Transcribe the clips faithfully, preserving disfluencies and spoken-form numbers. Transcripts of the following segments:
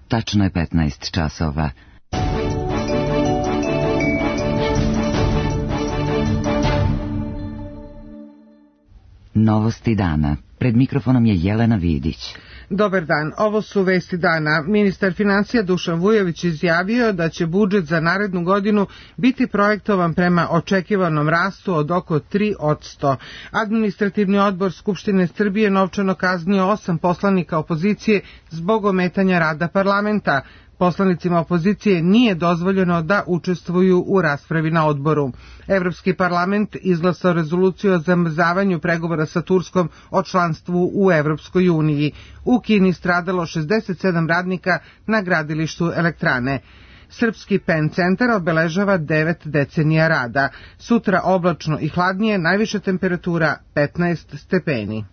Tačno je petnaest časova. Novosti dana. Pred mikrofonom je Jelena Vidić. Dobar dan, ovo su vesti dana. Ministar financija Dušan Vujović izjavio da će budžet za narednu godinu biti projektovan prema očekivanom rastu od oko tri posto. Administrativni odbor Skupštine Srbije novčano kaznio osam poslanika opozicije zbog ometanja rada parlamenta. Poslanicima opozicije nije dozvoljeno da učestvuju u raspravi na odboru. Evropski parlament izglasao rezoluciju o zamrzavanju pregovora sa Turskom o članstvu u Evropskoj uniji. U Kini stradalo šezdeset sedam radnika na gradilištu elektrane. Srpski Pen centar obeležava devet decenija rada. Sutra oblačno i hladnije, najviša temperatura petnaest stepeni.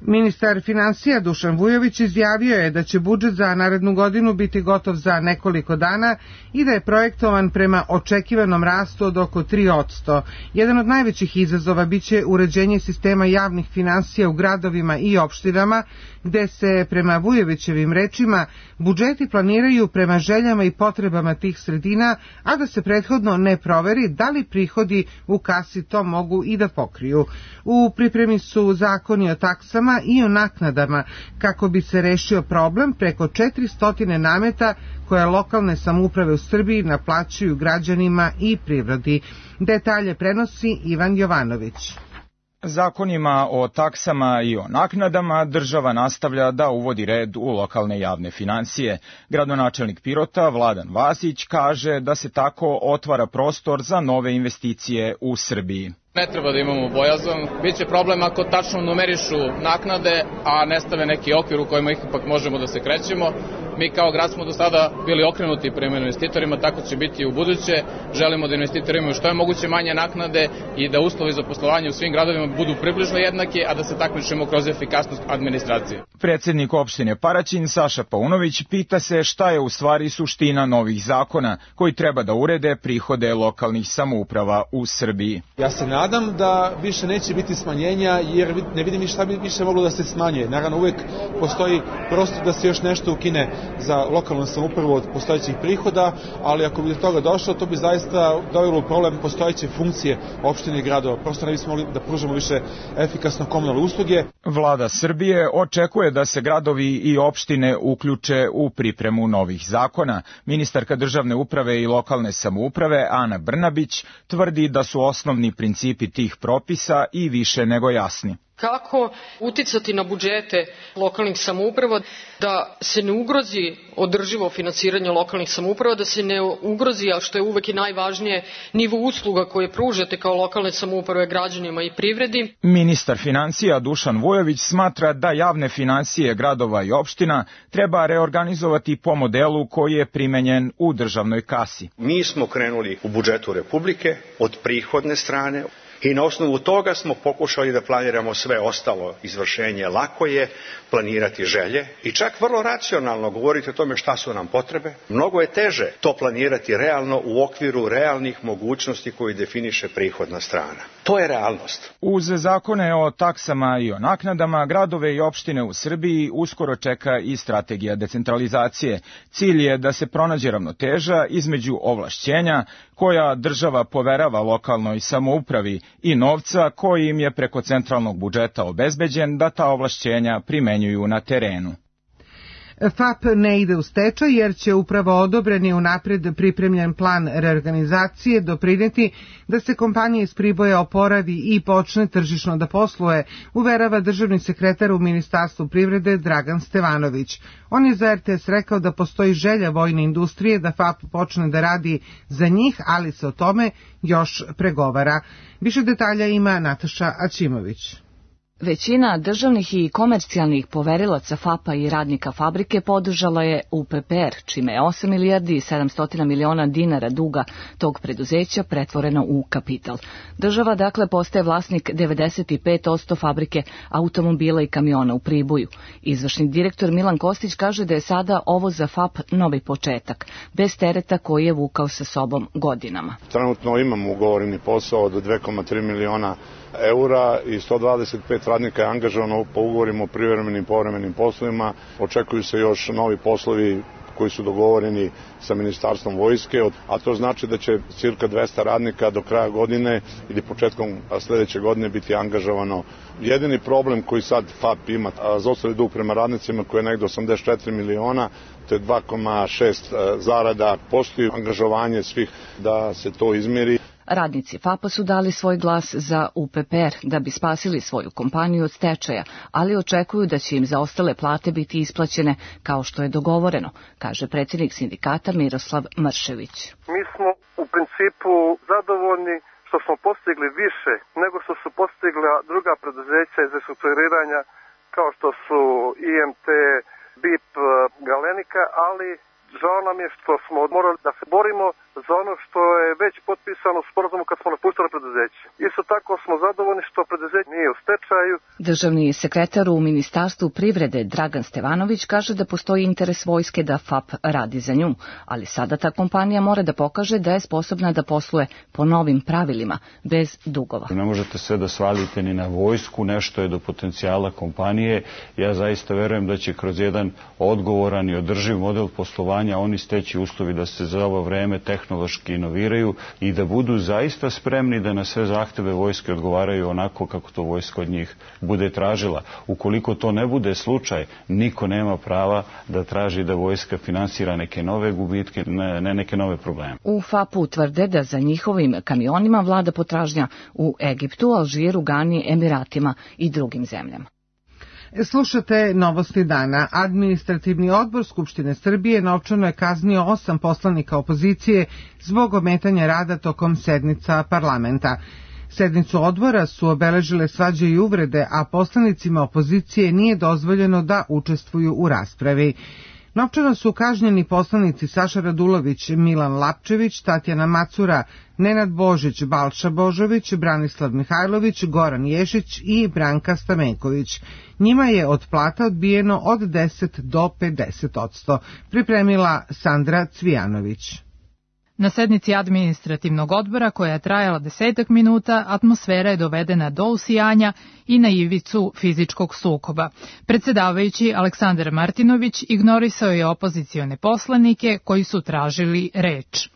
Ministar financija Dušan Vujović izjavio je da će budžet za narednu godinu biti gotov za nekoliko dana i da je projektovan prema očekivanom rastu od oko tri posto. Jedan od najvećih izazova biće uređenje sistema javnih finansija u gradovima i opštinama, gde se, prema Vujovićevim rečima, budžeti planiraju prema željama i potrebama tih sredina, a da se prethodno ne proveri da li prihodi u kasi to mogu i da pokriju. U pripremi su zakoni o taksama i o naknadama kako bi se rešio problem preko četiristo nameta koje lokalne samouprave u Srbiji naplaćuju građanima i privredi. Detalje prenosi Ivan Jovanović. Zakonima o taksama i o naknadama država nastavlja da uvodi red u lokalne javne finansije. Gradonačelnik Pirota Vladan Vasić kaže da se tako otvara prostor za nove investicije u Srbiji. Ne treba da imamo bojazan. Biće problem ako tačno numerišu naknade, a ne stave neki okvir u kojima ipak možemo da se krećemo. Mi kao grad smo do sada bili okrenuti prema investitorima, tako će biti i u buduće. Želimo da investitori imaju što je moguće manje naknade i da uslovi za poslovanje u svim gradovima budu približno jednaki, a da se takmičimo kroz efikasnost administracije. Predsednik opštine Paraćin Saša Paunović pita se šta je u stvari suština novih zakona koji treba da urede prihode lokalnih samouprava u Srbiji. Ja se nadam da više neće biti smanjenja, jer ne vidim šta bi više moglo da se smanje. Naravno, uvek postoji prostor da se još nešto ukine za lokalnu samoupravu od postojećih prihoda, ali ako bi do toga došlo, to bi zaista dovelo u problem postojeće funkcije opštine i gradova. Prosto ne bismo mogli da pružamo više efikasno komunalne usluge. Vlada Srbije očekuje da se gradovi i opštine uključe u pripremu novih zakona. Ministarka državne uprave i lokalne samouprave Ana Brnabić tvrdi da su osnovni principi tih propisa i više nego jasni. Kako uticati na budžete lokalnih samouprava da se ne ugrozi održivo finansiranje lokalnih samouprava, da se ne ugrozi, a što je uvek i najvažnije, nivo usluga koje pružate kao lokalne samouprave građanima i privredi. Ministar financija Dušan Vujović smatra da javne finansije gradova i opština treba reorganizovati po modelu koji je primenjen u državnoj kasi. Mi smo krenuli u budžetu Republike od prihodne strane, i na osnovu toga smo pokušali da planiramo sve ostalo izvršenje. Lako je planirati želje i čak vrlo racionalno govoriti o tome šta su nam potrebe. Mnogo je teže to planirati realno u okviru realnih mogućnosti koji definiše prihodna strana. To je realnost. Uz zakone o taksama i o naknadama, gradove i opštine u Srbiji uskoro čeka i strategija decentralizacije. Cilj je da se pronađe ravnoteža između ovlašćenja koja država poverava lokalnoj samoupravi i novca koji im je preko centralnog budžeta obezbeđen da ta ovlašćenja primenjuju na terenu. F A P ne ide u stečaj jer će upravo odobreni unapred pripremljen plan reorganizacije doprineti da se kompanija iz Priboja oporavi i počne tržišno da posluje, uverava državni sekretar u Ministarstvu privrede Dragan Stevanović. On je za R T S rekao da postoji želja vojne industrije da F A P počne da radi za njih, ali se o tome još pregovara. Više detalja ima Nataša Aćimović. Većina državnih i komercijalnih poverilaca F A P-a i radnika fabrike podržala je U P P R, čime je osam milijardi i sedamsto miliona dinara duga tog preduzeća pretvoreno u kapital. Država dakle postaje vlasnik devedeset pet posto fabrike automobila i kamiona u Priboju. Izvršni direktor Milan Kostić kaže da je sada ovo za F A P novi početak, bez tereta koji je vukao sa sobom godinama. Trenutno imamo ugovoreni posao od dve zarez tri miliona eura i sto dvadeset pet dvesta radnika je angažovano po ugovorima o privremenim i povremenim poslovima. Očekuju se još novi poslovi koji su dogovoreni sa Ministarstvom vojske, a to znači da će cirka dvesta radnika do kraja godine ili početkom sledeće godine biti angažovano. Jedini problem koji sad F A P ima, zaostali dug prema radnicima koji je negde osamdeset četiri miliona, to je dva zarez šest zarada, postoji angažovanje svih da se to izmeri. Radnici F A P-a su dali svoj glas za U P P R da bi spasili svoju kompaniju od stečaja, ali očekuju da će im zaostale plate biti isplaćene kao što je dogovoreno, kaže predsjednik sindikata Miroslav Mršević. Mi smo u principu zadovoljni što smo postigli više nego što su postigla druga preduzeća iz restrukturiranja kao što su I M T, B I P, Galenika, ali žao nam je što smo morali da se borimo za ono što je već potpisano u sporazumu kad smo napuštali preduzeće. Isto tako smo zadovoljni što preduzeće nije u stečaju. Državni sekretar u Ministarstvu privrede Dragan Stevanović kaže da postoji interes vojske da F A P radi za nju, ali sada ta kompanija mora da pokaže da je sposobna da posluje po novim pravilima, bez dugova. Ne možete sve da svalite ni na vojsku, nešto je do potencijala kompanije. Ja zaista verujem da će kroz jedan odgovoran i održiv model poslovanja oni steći uslovi da se za ovo vreme tehnološki inoviraju i da budu zaista spremni da na sve zahteve vojske odgovaraju onako kako to vojska od njih bude tražila. Ukoliko to ne bude slučaj, niko nema prava da traži da vojska finansira neke nove gubitke, ne neke nove probleme. U F A P-u tvrde da za njihovim kamionima vlada potražnja u Egiptu, Alžiru, Gani, Emiratima i drugim zemljama. Slušate novosti dana. Administrativni odbor Skupštine Srbije novčano je kaznio osam poslanika opozicije zbog ometanja rada tokom sednica parlamenta. Sednicu odbora su obeležile svađe i uvrede, a poslanicima opozicije nije dozvoljeno da učestvuju u raspravi. Novčano su kažnjeni poslanici Saša Radulović, Milan Lapčević, Tatjana Macura, Nenad Božić, Balša Božović, Branislav Mihajlović, Goran Ješić i Branka Stamenković. Njima je od plata odbijeno od deset do pedeset odsto. Pripremila Sandra Cvijanović. Na sednici administrativnog odbora, koja je trajala desetak minuta, atmosfera je dovedena do usijanja i na ivicu fizičkog sukoba. Predsedavajući Aleksandar Martinović ignorisao je opozicione poslanike koji su tražili reč.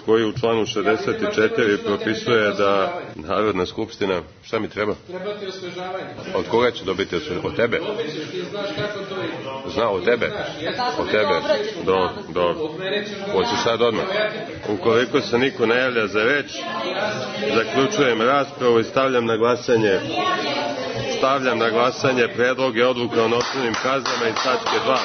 Koji u članu šezdeset četiri propisuje da Narodna skupština, šta mi treba? Treba ti osvežavanje. Od koga će dobiti osvežavanje? Od tebe? Ti znaš kako to je. Zna, od tebe? Od tebe? Do, do. Hoćeš sad odmah? Ukoliko se niko ne javlja za reč, zaključujem raspravu i stavljam na glasanje stavljam na glasanje predloge odluka o novčanim kaznama iz tačke dva.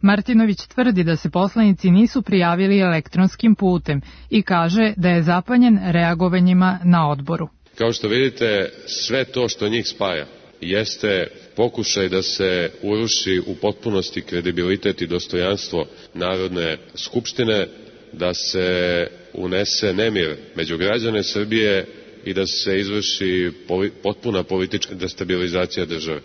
Martinović tvrdi da se poslanici nisu prijavili elektronskim putem i kaže da je zapanjen reagovanjima na odboru. Kao što vidite, sve to što njih spaja jeste pokušaj da se uruši u potpunosti kredibilitet i dostojanstvo Narodne skupštine, da se unese nemir među građane Srbije i da se izvrši potpuna politička destabilizacija države.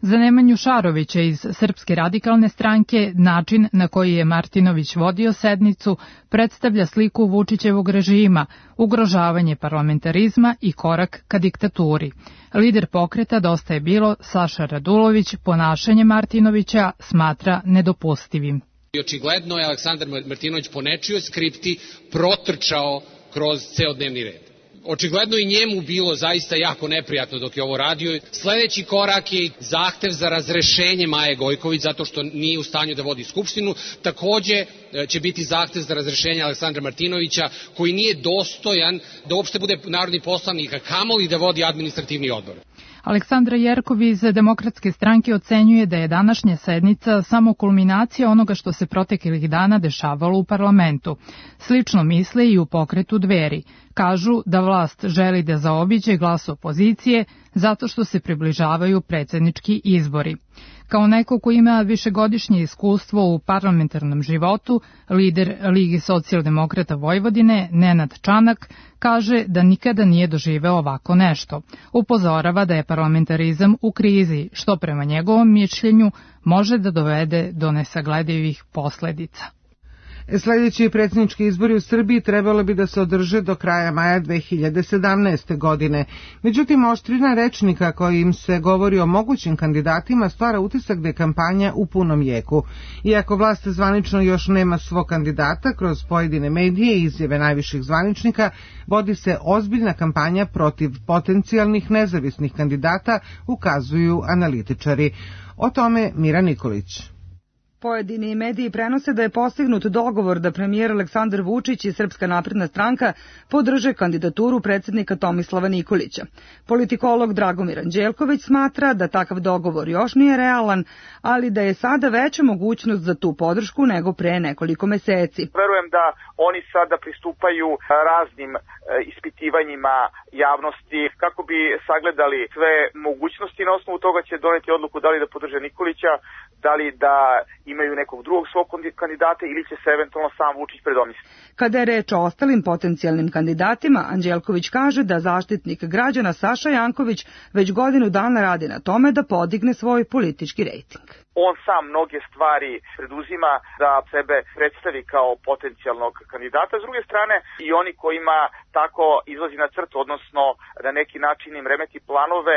Za Nemanju Šarovića iz Srpske radikalne stranke način na koji je Martinović vodio sednicu predstavlja sliku Vučićevog režima, ugrožavanje parlamentarizma i korak ka diktaturi. Lider pokreta Dosta je bilo, Saša Radulović, ponašanje Martinovića smatra nedopustivim. Očigledno je Aleksandar Martinović po nečijoj skripti protrčao kroz ceo dnevni red. Očigledno i njemu bilo zaista jako neprijatno dok je ovo radio. Sledeći korak je zahtev za razrešenje Maje Gojković zato što nije u stanju da vodi skupštinu. Takođe će biti zahtev za razrešenje Aleksandra Martinovića koji nije dostojan da uopšte bude narodni poslanik, a kamoli da vodi administrativni odbor. Aleksandra Jerkov iz Demokratske stranke ocenjuje da je današnja sednica samo kulminacija onoga što se proteklih dana dešavalo u parlamentu. Slično misle i u pokretu Dveri. Kažu da vlast želi da zaobiđe glas opozicije zato što se približavaju predsjednički izbori. Kao neko ko ima višegodišnje iskustvo u parlamentarnom životu, lider Lige socijaldemokrata Vojvodine, Nenad Čanak, kaže da nikada nije doživeo ovako nešto. Upozorava da je parlamentarizam u krizi, što prema njegovom mišljenju može da dovede do nesagledivih posledica. Sljedeći predsjednički izbori u Srbiji trebalo bi da se održe do kraja maja dve hiljade sedamnaeste. godine. Međutim, oštrina rečnika kojim se govori o mogućim kandidatima stvara utisak da je kampanja u punom jeku. Iako vlast zvanično još nema svog kandidata, kroz pojedine medije i izjave najviših zvaničnika vodi se ozbiljna kampanja protiv potencijalnih nezavisnih kandidata, ukazuju analitičari. O tome Mira Nikolić. Pojedini mediji prenose da je postignut dogovor da premijer Aleksandar Vučić i Srpska napredna stranka podrže kandidaturu predsjednika Tomislava Nikolića. Politikolog Dragomir Anđelković smatra da takav dogovor još nije realan, ali da je sada veća mogućnost za tu podršku nego pre nekoliko meseci. Verujem da oni sada pristupaju raznim ispitivanjima javnosti kako bi sagledali sve mogućnosti. Na osnovu toga će doneti odluku da li da podrže Nikolića, da li da imaju nekog drugog svog kandidata ili će se eventualno sam Vučić predomisliti. Kada je reč o ostalim potencijalnim kandidatima, Anđelković kaže da zaštitnik građana Saša Janković već godinu dana radi na tome da podigne svoj politički rejting. On sam mnoge stvari preduzima da sebe predstavi kao potencijalnog kandidata. S druge strane, i oni kojima tako izlazi na crtu, odnosno na neki način im remeti planove,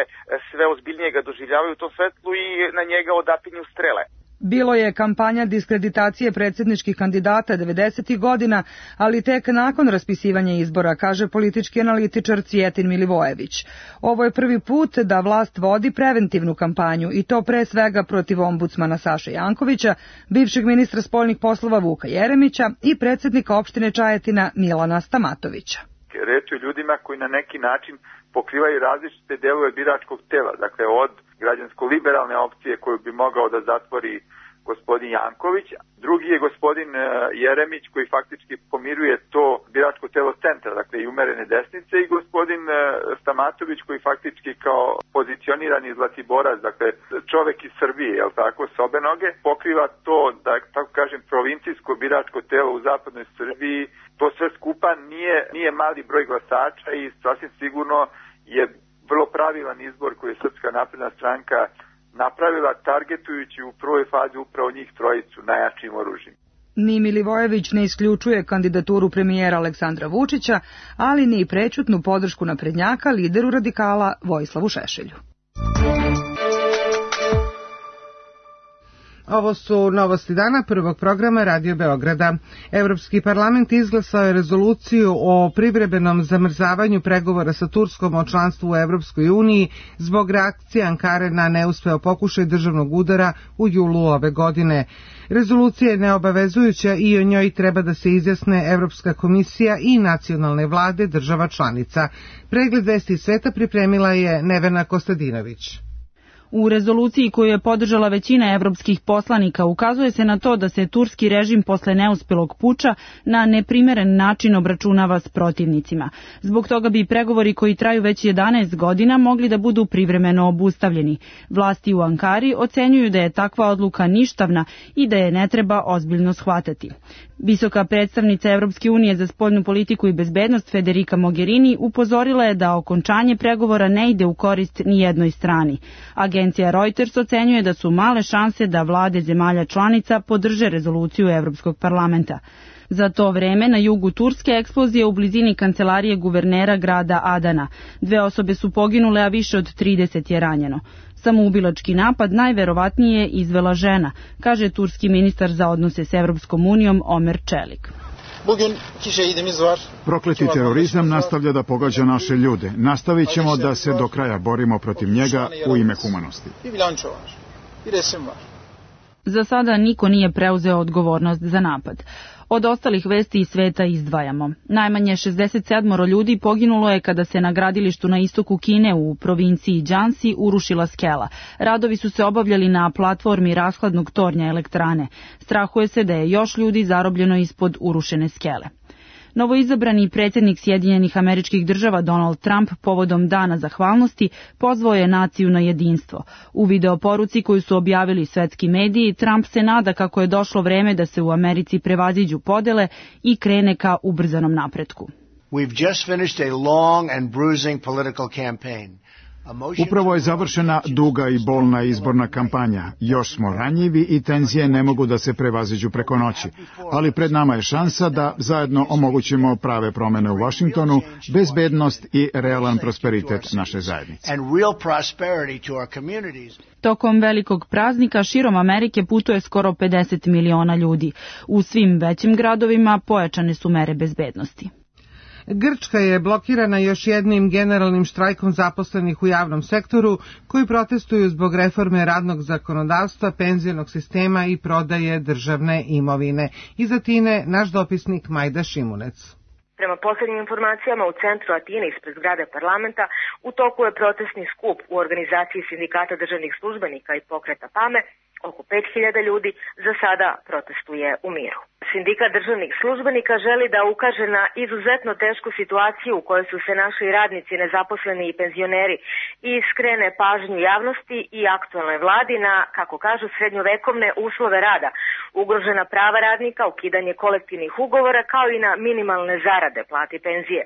sve ozbiljnije ga doživljavaju u tom svetlu i na njega odapinju strele. Bilo je kampanja diskreditacije predsjedničkih kandidata devedesetih godina, ali tek nakon raspisivanja izbora, kaže politički analitičar Cvijetin Milivojević. Ovo je prvi put da vlast vodi preventivnu kampanju i to pre svega protiv ombudsmana Saše Jankovića, bivšeg ministra spoljnih poslova Vuka Jeremića i predsjednika opštine Čajetina Milana Stamatovića. Reč je o ljudima koji na neki način pokrivaju različite delove biračkog tela, dakle od građansko-liberalne opcije koju bi mogao da zatvori gospodin Janković. Drugi je gospodin Jeremić koji faktički pomiruje to biračko telo centra, dakle i umerene desnice, i gospodin Stamatović koji faktički kao pozicionirani zlatiborac, dakle čovek iz Srbije, jel tako, s obe noge, pokriva to, da tako kažem, provincijsko biračko telo u zapadnoj Srbiji. To sve skupa nije, nije mali broj glasača i sasvim sigurno je vrlo pravilan izbor koji je Srpska napredna stranka napravila, targetujući u prvoj fazi upravo njih trojicu najjačim oružjem. Ni Milivojević ne isključuje kandidaturu premijera Aleksandra Vučića, ali ni prečutnu podršku naprednjaka lideru radikala Vojislavu Šešelju. Ovo su novosti dana prvog programa Radio Beograda. Evropski parlament izglasao je rezoluciju o privremenom zamrzavanju pregovora sa Turskom o članstvu u Evropskoj uniji zbog reakcije Ankare na neuspeo pokušaj državnog udara u julu ove godine. Rezolucija je neobavezujuća i o njoj treba da se izjasne Evropska komisija i nacionalne vlade država članica. Pregled vesti sveta pripremila je Nevena Kostadinović. U rezoluciji koju je podržala većina evropskih poslanika ukazuje se na to da se turski režim posle neuspelog puča na neprimeren način obračunava s protivnicima. Zbog toga bi pregovori koji traju već jedanaest godina mogli da budu privremeno obustavljeni. Vlasti u Ankari ocenjuju da je takva odluka ništavna i da je ne treba ozbiljno shvatati. Visoka predstavnica Evropske unije za spoljnu politiku i bezbednost Federica Mogherini upozorila je da okončanje pregovora ne ide u korist ni jednoj strani. Agencija Reuters ocenjuje da su male šanse da vlade zemalja članica podrže rezoluciju Evropskog parlamenta. Za to vreme na jugu Turske eksplozija u blizini kancelarije guvernera grada Adana. Dve osobe su poginule, a više od trideset je ranjeno. Samoubilački napad najverovatnije izvela žena, kaže turski ministar za odnose s Evropskom unijom Omer Čelik. Prokleti terorizam nastavlja da pogađa naše ljude. Nastavit ćemo da se do kraja borimo protiv njega u ime humanosti. Za sada niko nije preuzeo odgovornost za napad. Od ostalih vesti iz sveta izdvajamo. Najmanje šezdeset sedam ljudi poginulo je kada se na gradilištu na istoku Kine u provinciji Džansi urušila skela. Radovi su se obavljali na platformi rashladnog tornja elektrane. Strahuje se da je još ljudi zarobljeno ispod urušene skele. Novoizabrani predsjednik Sjedinjenih Američkih Država Donald Trump povodom Dana zahvalnosti pozvao je naciju na jedinstvo. U videoporuci koju su objavili svetski mediji, Trump se nada kako je došlo vreme da se u Americi prevaziđu podele i krene ka ubrzanom napretku. We've just finished a long and bruising political campaign. Upravo je završena duga i bolna izborna kampanja. Još smo ranjivi i tenzije ne mogu da se prevaziđu preko noći. Ali pred nama je šansa da zajedno omogućimo prave promene u Vašingtonu, bezbednost i realan prosperitet naše zajednice. Tokom velikog praznika širom Amerike putuje skoro pedeset miliona ljudi. U svim većim gradovima pojačane su mere bezbednosti. Grčka je blokirana još jednim generalnim štrajkom zaposlenih u javnom sektoru koji protestuju zbog reforme radnog zakonodavstva, penzionog sistema i prodaje državne imovine. Iz Atine naš dopisnik Majda Šimunec. Prema posljednjim informacijama u centru Atine ispred zgrade parlamenta u toku je protestni skup u organizaciji sindikata državnih službenika i pokreta PAME. Oko pet hiljada ljudi za sada protestuje u miru. Sindikat državnih službenika želi da ukaže na izuzetno tešku situaciju u kojoj su se našli radnici, nezaposleni i penzioneri i skrene pažnju javnosti i aktualnoj vladi na, kako kažu, srednjovekovne uslove rada, ugrožena prava radnika, ukidanje kolektivnih ugovora kao i na minimalne zarade, plate i penzije.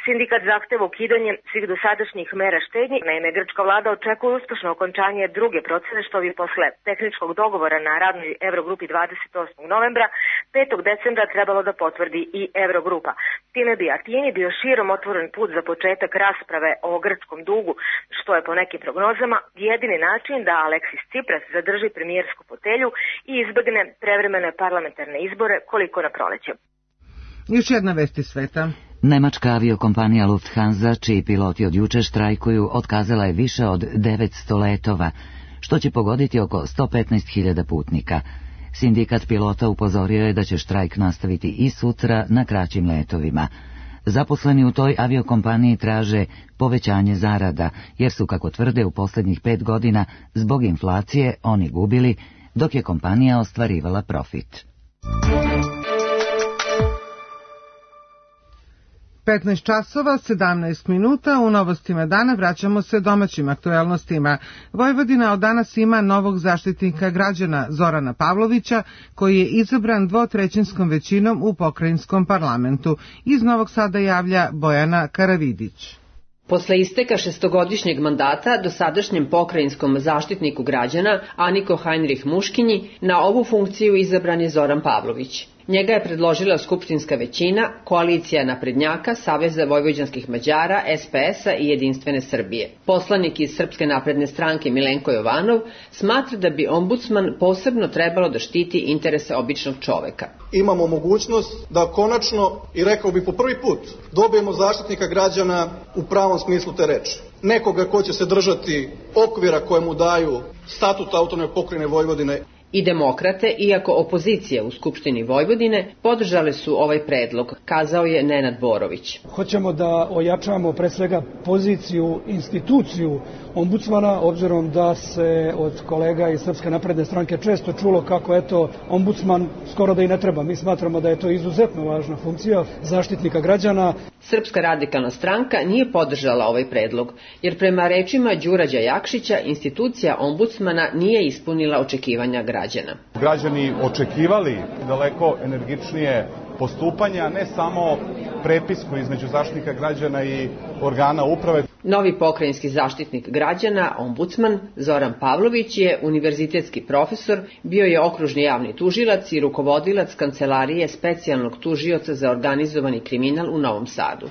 Sindikat zahteva ukidanje svih dosadašnjih mera štednje. Naime, grčka vlada očekuje uspešno okončanje druge procene što bi posle tehničkog dogovora na radnoj Eurogrupi dvadeset osmog novembra petog decembra trebalo da potvrdi i Eurogrupa. Time bi Atini bio širom otvoren put za početak rasprave o grčkom dugu, što je po nekim prognozama jedini način da Aleksis Tsipras zadrži premijersku fotelju i izbegne prevremene parlamentarne izbore koliko na proleće. Još jedna vest iz sveta. Nemačka aviokompanija Lufthansa, čiji piloti od juče štrajkuju, otkazala je više od devetsto letova, što će pogoditi oko sto petnaest hiljada putnika. Sindikat pilota upozorio je da će štrajk nastaviti i sutra na kraćim letovima. Zaposleni u toj aviokompaniji traže povećanje zarada, jer su, kako tvrde, u posljednjih pet godina zbog inflacije oni gubili, dok je kompanija ostvarivala profit. petnaest časova, sedamnaest minuta, u novostima dana vraćamo se domaćim aktuelnostima. Vojvodina od danas ima novog zaštitnika građana Zorana Pavlovića, koji je izabran dvotrećinskom većinom u pokrajinskom parlamentu. Iz Novog Sada javlja Bojana Karavidić. Posle isteka šestogodišnjeg mandata dosadašnjem pokrajinskom zaštitniku građana Aniko Heinrich Muškinji na ovu funkciju izabran je Zoran Pavlović. Njega je predložila skupštinska većina, koalicija naprednjaka, Saveza vojvođanskih Mađara, S P S-a i Jedinstvene Srbije. Poslanik iz Srpske napredne stranke Milenko Jovanov smatra da bi ombudsman posebno trebalo da štiti interese običnog čoveka. Imamo mogućnost da konačno, i rekao bi po prvi put, dobijemo zaštitnika građana u pravom smislu te reči. Nekoga ko će se držati okvira koje mu daju statut autonomne pokrajine Vojvodine. I demokrate, iako opozicija u Skupštini Vojvodine, podržale su ovaj predlog, kazao je Nenad Borović. Hoćemo da ojačamo pre svega poziciju, instituciju ombudsmana, obzirom da se od kolega iz Srpske napredne stranke često čulo kako eto ombudsman skoro da i ne treba. Mi smatramo da je to izuzetno važna funkcija zaštitnika građana. Srpska radikalna stranka nije podržala ovaj predlog, jer prema rečima Đurađa Jakšića institucija ombudsmana nije ispunila očekivanja građana. Građani očekivali daleko energičnije postupanja, ne samo prepisku između zaštitnika građana i organa uprave. Novi pokrajinski zaštitnik građana, ombudsman Zoran Pavlović, je univerzitetski profesor, bio je okružni javni tužilac i rukovodilac kancelarije specijalnog tužioca za organizovani kriminal u Novom Sadu.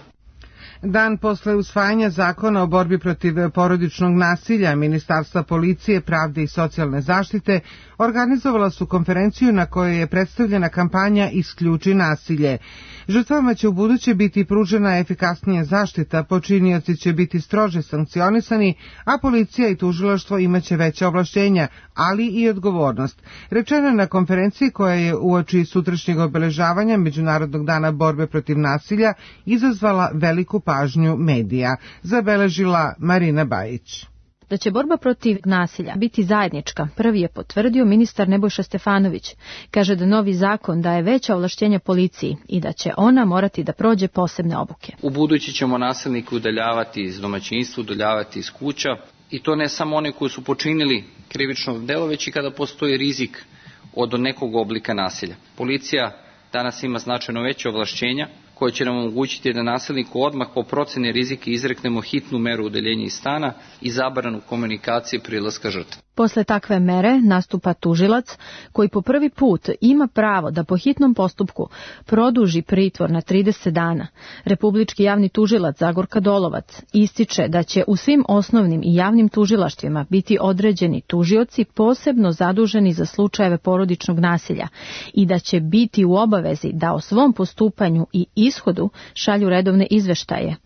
Dan posle usvajanja zakona o borbi protiv porodičnog nasilja, Ministarstva policije, pravde i socijalne zaštite organizovala su konferenciju na kojoj je predstavljena kampanja Isključi nasilje. Žrtvama će u buduće biti pružena efikasnija zaštita, počinioci će biti strože sankcionisani, a policija i tužilaštvo imaće veća ovlašćenja, ali i odgovornost. Rečeno je na konferenciji koja je uoči sutrašnjeg obeležavanja Međunarodnog dana borbe protiv nasilja izazvala veliku pažnju medija, zabeležila Marina Bajić. Da će borba protiv nasilja biti zajednička, prvi je potvrdio ministar Nebojša Stefanović. Kaže da novi zakon daje veća ovlašćenja policiji i da će ona morati da prođe posebne obuke. U budući ćemo nasilnike udaljavati iz domaćinstva, udaljavati iz kuća, i to ne samo oni koji su počinili krivično delo, već i kada postoji rizik od nekog oblika nasilja. Policija danas ima značajno veće ovlašćenja koja će nam omogućiti da nasilniku odmah po proceni rizika izreknemo hitnu meru udaljenja iz stana i zabranu komunikacije prilaska žrtve. Posle takve mere nastupa tužilac koji po prvi put ima pravo da po hitnom postupku produži pritvor na trideset dana. Republički javni tužilac Zagorka Dolovac ističe da će u svim osnovnim i javnim tužilaštvima biti određeni tužioci posebno zaduženi za slučajeve porodičnog nasilja i da će biti u obavezi da o svom postupanju i ishodu šalju redovne izveštaje.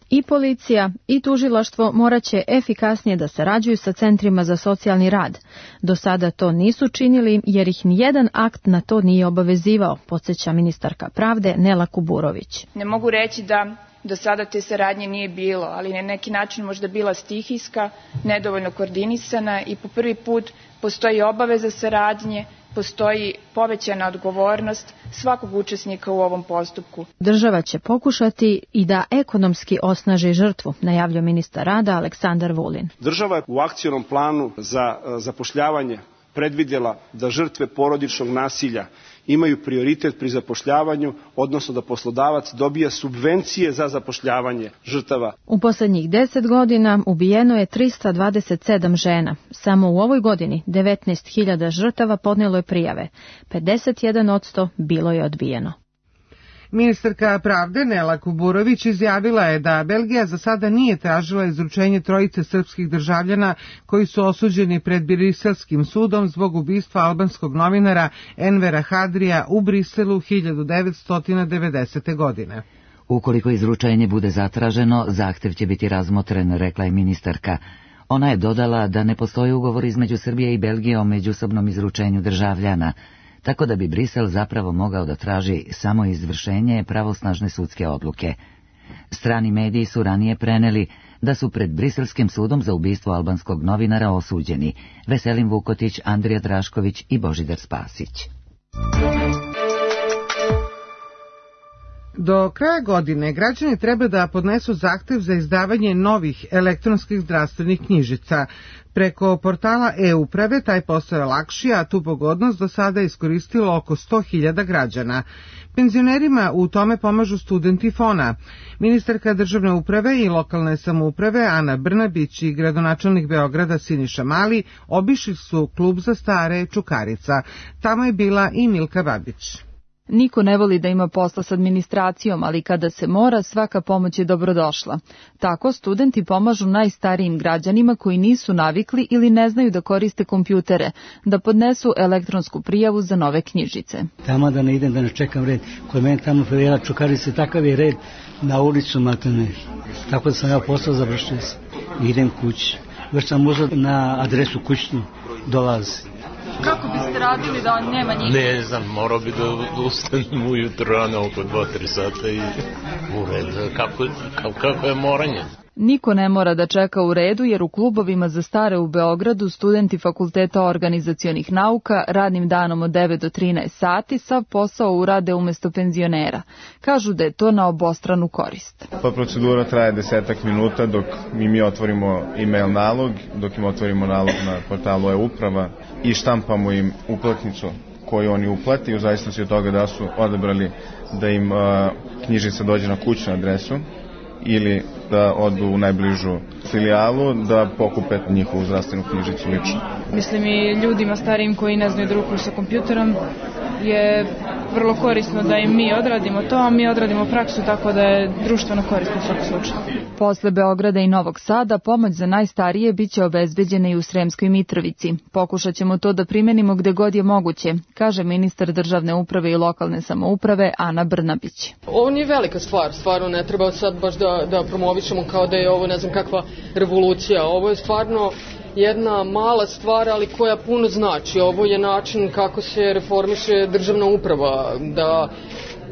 I policija i tužilaštvo morat će efikasnije da sarađuju sa centrima za socijalni rad. Do sada to nisu činili jer ih nijedan akt na to nije obavezivao, podsjeća ministarka pravde Nela Kuburović. Ne mogu reći da do sada te saradnje nije bilo, ali na neki način možda bila stihijska, nedovoljno koordinisana i po prvi put postoji obaveza saradnje, postoji povećana odgovornost svakog učesnika u ovom postupku. Država će pokušati i da ekonomski osnaži žrtvu, najavljuje ministar rada Aleksandar Vulin. Država je u akcionom planu za zapošljavanje predvidjela da žrtve porodičnog nasilja imaju prioritet pri zapošljavanju, odnosno da poslodavac dobija subvencije za zapošljavanje žrtava. U poslednjih deset godina ubijeno je trista dvadeset sedam žena. Samo u ovoj godini devetnaest hiljada žrtava podnelo je prijave. pedeset jedan posto bilo je odbijeno. Ministarka pravde Nela Kuburović izjavila je da Belgija za sada nije tražila izručenje trojice srpskih državljana koji su osuđeni pred Briselskim sudom zbog ubistva albanskog novinara Envera Hadrija u Briselu hiljadu devetsto devedesete. godine. Ukoliko izručenje bude zatraženo, zahtev će biti razmotren, rekla je ministarka. Ona je dodala da ne postoji ugovor između Srbije i Belgije o međusobnom izručenju državljana, tako da bi Brisel zapravo mogao da traži samo izvršenje pravosnažne sudske odluke. Strani mediji su ranije preneli da su pred Briselskim sudom za ubistvo albanskog novinara osuđeni Veselin Vukotić, Andrija Drašković i Božidar Spasić. Do kraja godine građani treba da podnesu zahtev za izdavanje novih elektronskih zdravstvenih knjižica. Preko portala e-uprave taj posao je lakši, a tu pogodnost do sada iskoristilo oko sto hiljada građana. Penzionerima u tome pomažu studenti Fona. Ministarka državne uprave i lokalne samouprave Ana Brnabić i gradonačelnik Beograda Siniša Mali obišli su klub za stare Čukarica. Tamo je bila i Milka Babić. Niko ne voli da ima posla s administracijom, ali kada se mora, svaka pomoć je dobrodošla. Tako studenti pomažu najstarijim građanima koji nisu navikli ili ne znaju da koriste kompjutere, da podnesu elektronsku prijavu za nove knjižice. Tamo da ne idem, da ne čekam red. Kod mene tamo predjela Čukarice, takav je red na ulicu Matane. Tako da sam ja postao završio sam. Idem kući. Već sam uzeo na adresu kućnu, dolazi. Kako biste radili da nema njih? Ne znam, morao bi da ustanem ujutro rano oko dva tri sata i ured, kako, kako je moranje. Niko ne mora da čeka u redu jer u klubovima za stare u Beogradu studenti Fakulteta organizacionih nauka radnim danom od devet do trinaest sati sav posao urade umesto penzionera. Kažu da je to na obostranu korist. Pa procedura traje desetak minuta dok mi, mi otvorimo e-mail nalog, dok im otvorimo nalog na portalu e-uprava i štampamo im uplatnicu koju oni uplati u zavisnosti od toga da su odabrali da im uh, knjižica dođe na kućnu adresu ili da odu u najbližu filijalu da pokupe njihovu zdravstvenu knjižicu lično. Mislim i ljudima starijim koji ne znaju da rukuju sa kompjuterom je vrlo korisno da im mi odradimo to, a mi odradimo praksu, tako da je društveno korisno u svakom slučaju. Posle Beograda i Novog Sada pomoć za najstarije biće obezbeđena i u Sremskoj Mitrovici. Pokušat ćemo to da primenimo gde god je moguće, kaže ministar državne uprave i lokalne samouprave Ana Brnabić. Ovo nije velika stvar, stvarno ne treba sad baš da, da promovišemo kao da je ovo ne znam kakva revolucija. Ovo je stvarno jedna mala stvar, ali koja puno znači. Ovo je način kako se reformiše državna uprava, da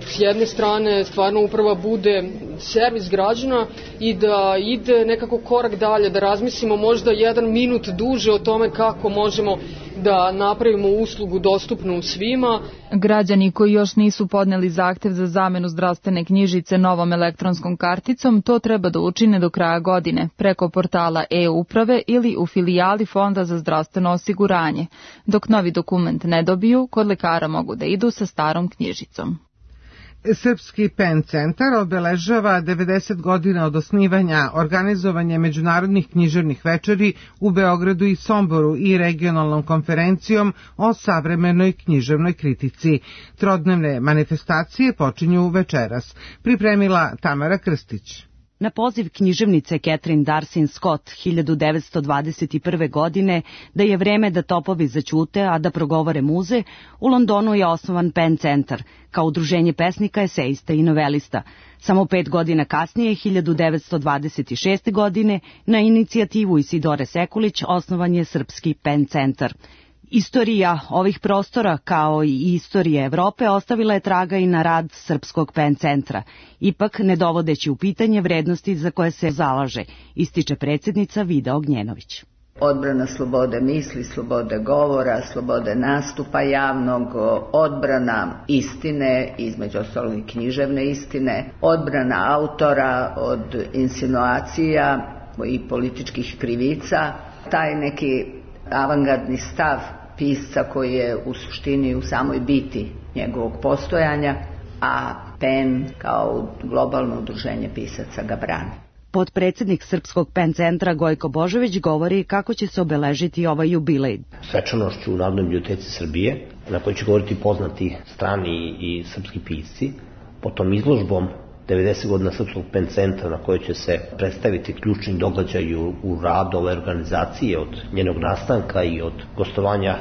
s jedne strane stvarno uprava bude servis građana i da ide nekako korak dalje, da razmislimo možda jedan minut duže o tome kako možemo da napravimo uslugu dostupnu svima. Građani koji još nisu podneli zahtev za zamenu zdravstvene knjižice novom elektronskom karticom, to treba da učine do kraja godine, preko portala e-uprave ili u filijali Fonda za zdravstveno osiguranje. Dok novi dokument ne dobiju, kod lekara mogu da idu sa starom knjižicom. Srpski Pen centar obeležava devedeset godina od osnivanja, organizovanje međunarodnih književnih večeri u Beogradu i Somboru i regionalnom konferencijom o savremenoj književnoj kritici. Trodnevne manifestacije počinju večeras. Pripremila Tamara Krstić. Na poziv književnice Catherine Darcy Scott hiljadu devetsto dvadeset prve. godine da je vreme da topovi zaćute, a da progovore muze, u Londonu je osnovan Pen centar, kao udruženje pesnika, esejista i novelista. Samo pet godina kasnije, hiljadu devetsto dvadeset šeste. godine, na inicijativu Isidore Sekulić osnovan je Srpski Pen centar. Istorija ovih prostora, kao i istorija Evrope, ostavila je traga i na rad Srpskog Pen centra, ipak ne dovodeći u pitanje vrednosti za koje se zalaže, ističe predsjednica Vida Ognjenović. Odbrana slobode misli, slobode govora, slobode nastupa javnog, odbrana istine, između ostalog i književne istine, odbrana autora od insinuacija i političkih krivica, taj neki avangardni stav pisca koji je u suštini u samoj biti njegovog postojanja, a Pen kao globalno udruženje pisaca ga brani. Potpredsjednik Srpskog Pen centra Gojko Božović govori kako će se obeležiti ovaj jubilej. Svečanošću u Narodnoj biblioteci Srbije, na kojoj će govoriti poznati strani i srpski pisci, potom izložbom devedeset godina Srpskog Pen centra, na kojoj će se predstaviti ključni događaj u, u radu ove organizacije od njenog nastanka i od gostovanja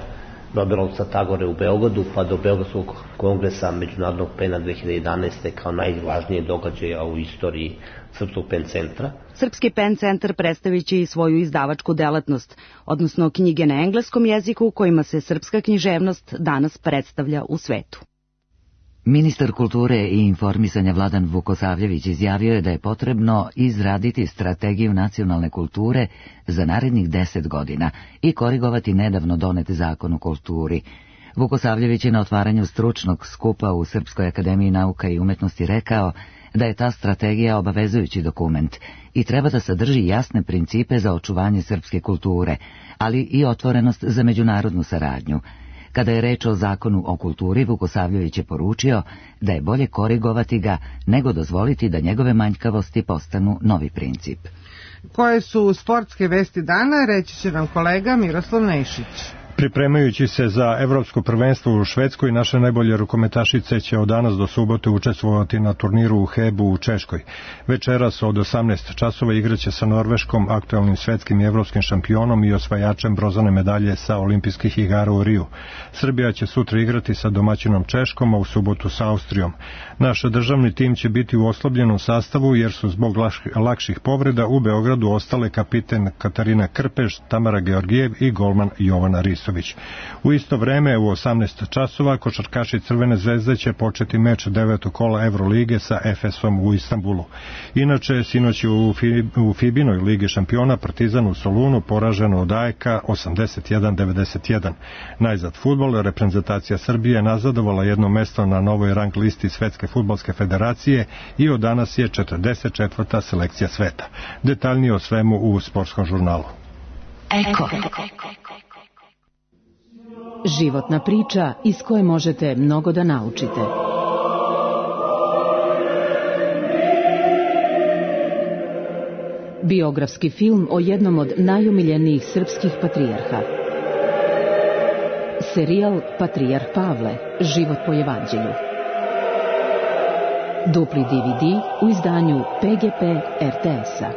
Nobelovca Tagore u Beogradu pa do Beogradskog kongresa Međunarodnog pena dve hiljade jedanaeste. kao najvažnije događaja u istoriji Srpskog Pen centra. Srpski Pen centar predstavit će i svoju izdavačku delatnost, odnosno knjige na engleskom jeziku kojima se srpska književnost danas predstavlja u svetu. Ministar kulture i informisanja Vladan Vukosavljević izjavio je da je potrebno izraditi strategiju nacionalne kulture za narednih deset godina i korigovati nedavno donet zakon o kulturi. Vukosavljević je na otvaranju stručnog skupa u Srpskoj akademiji nauka i umetnosti rekao da je ta strategija obavezujući dokument i treba da sadrži jasne principe za očuvanje srpske kulture, ali i otvorenost za međunarodnu saradnju. Kada je reč o zakonu o kulturi, Vukosavljević je poručio da je bolje korigovati ga nego dozvoliti da njegove manjkavosti postanu novi princip. Koje su sportske vesti dana, reći će nam kolega Miroslav Nešić. Pripremajući se za evropsko prvenstvo u Švedskoj, naše najbolje rukometašice će od danas do subote učestvovati na turniru u Hebu u Češkoj. Večeras od osamnaest časova igraće sa Norveškom, aktualnim svetskim i evropskim šampionom i osvajačem bronzane medalje sa olimpijskih igara u Riju. Srbija će sutra igrati sa domaćinom Češkom, a u subotu sa Austrijom. Naš državni tim će biti u oslabljenom sastavu jer su zbog lakših povreda u Beogradu ostale kapiten Katarina Krpeš, Tamara Georgijev i golman Jovana Ris. U isto vreme u osamnaest časova košarkaši Crvene zvezde će početi meč devetog kola Evrolige sa Efesom u Istanbulu. Inače, sinoć u, u Fibinoj ligi šampiona Partizan u Solunu poraženo od A E K osamdeset jedan devedeset jedan. Najzad fudbal, reprezentacija Srbije nazadovala jedno mesto na novoj rang listi Svetske fudbalske federacije i od danas je četrdeset četvrta selekcija sveta. Detaljnije o svemu u sportskom žurnalu. Eko. Životna priča iz koje možete mnogo da naučite. Biografski film o jednom od najomiljenijih srpskih patrijarha. Serijal Patrijarh Pavle, život po evanđelju. Dupli D V D u izdanju P G P R T S-a.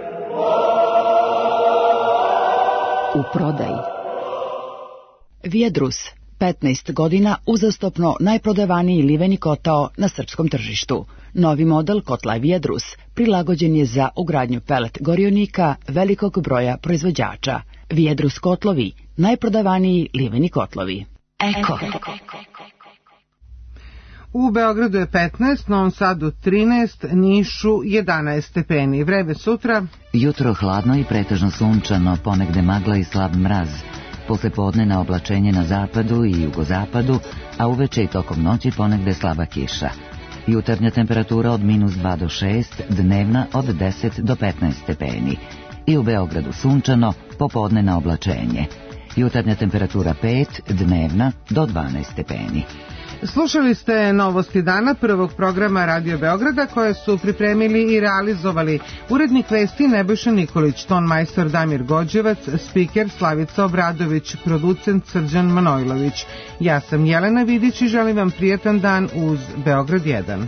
U prodaji. Vijedrus, petnaest godina uzastopno najprodavaniji liveni kotao na srpskom tržištu. Novi model kotla Vijedrus prilagođen je za ugradnju pelet gorionika velikog broja proizvođača. Vijedrus kotlovi, najprodavaniji liveni kotlovi. Eko. U Beogradu je petnaest, Novom Sadu trinaest, Nišu jedanaest stepeni. Vreme sutra. Jutro hladno i pretežno sunčano, ponegde magla i slab mraz. Posle podnena oblačenje na zapadu i jugozapadu, a uveče i tokom noći ponegde slaba kiša. Jutarnja temperatura od minus dva do šest, dnevna od deset do petnaest stepeni. I u Beogradu sunčano, popodnena oblačenje. Jutarnja temperatura pet, dnevna do dvanaest stepeni. Slušali ste Novosti dana prvog programa Radio Beograda koje su pripremili i realizovali urednik vesti Nebojša Nikolić, tonmajstor Damir Gođevac, spiker Slavica Obradović, producent Srđan Manojlović. Ja sam Jelena Vidić i želim vam prijatan dan uz Beograd jedan.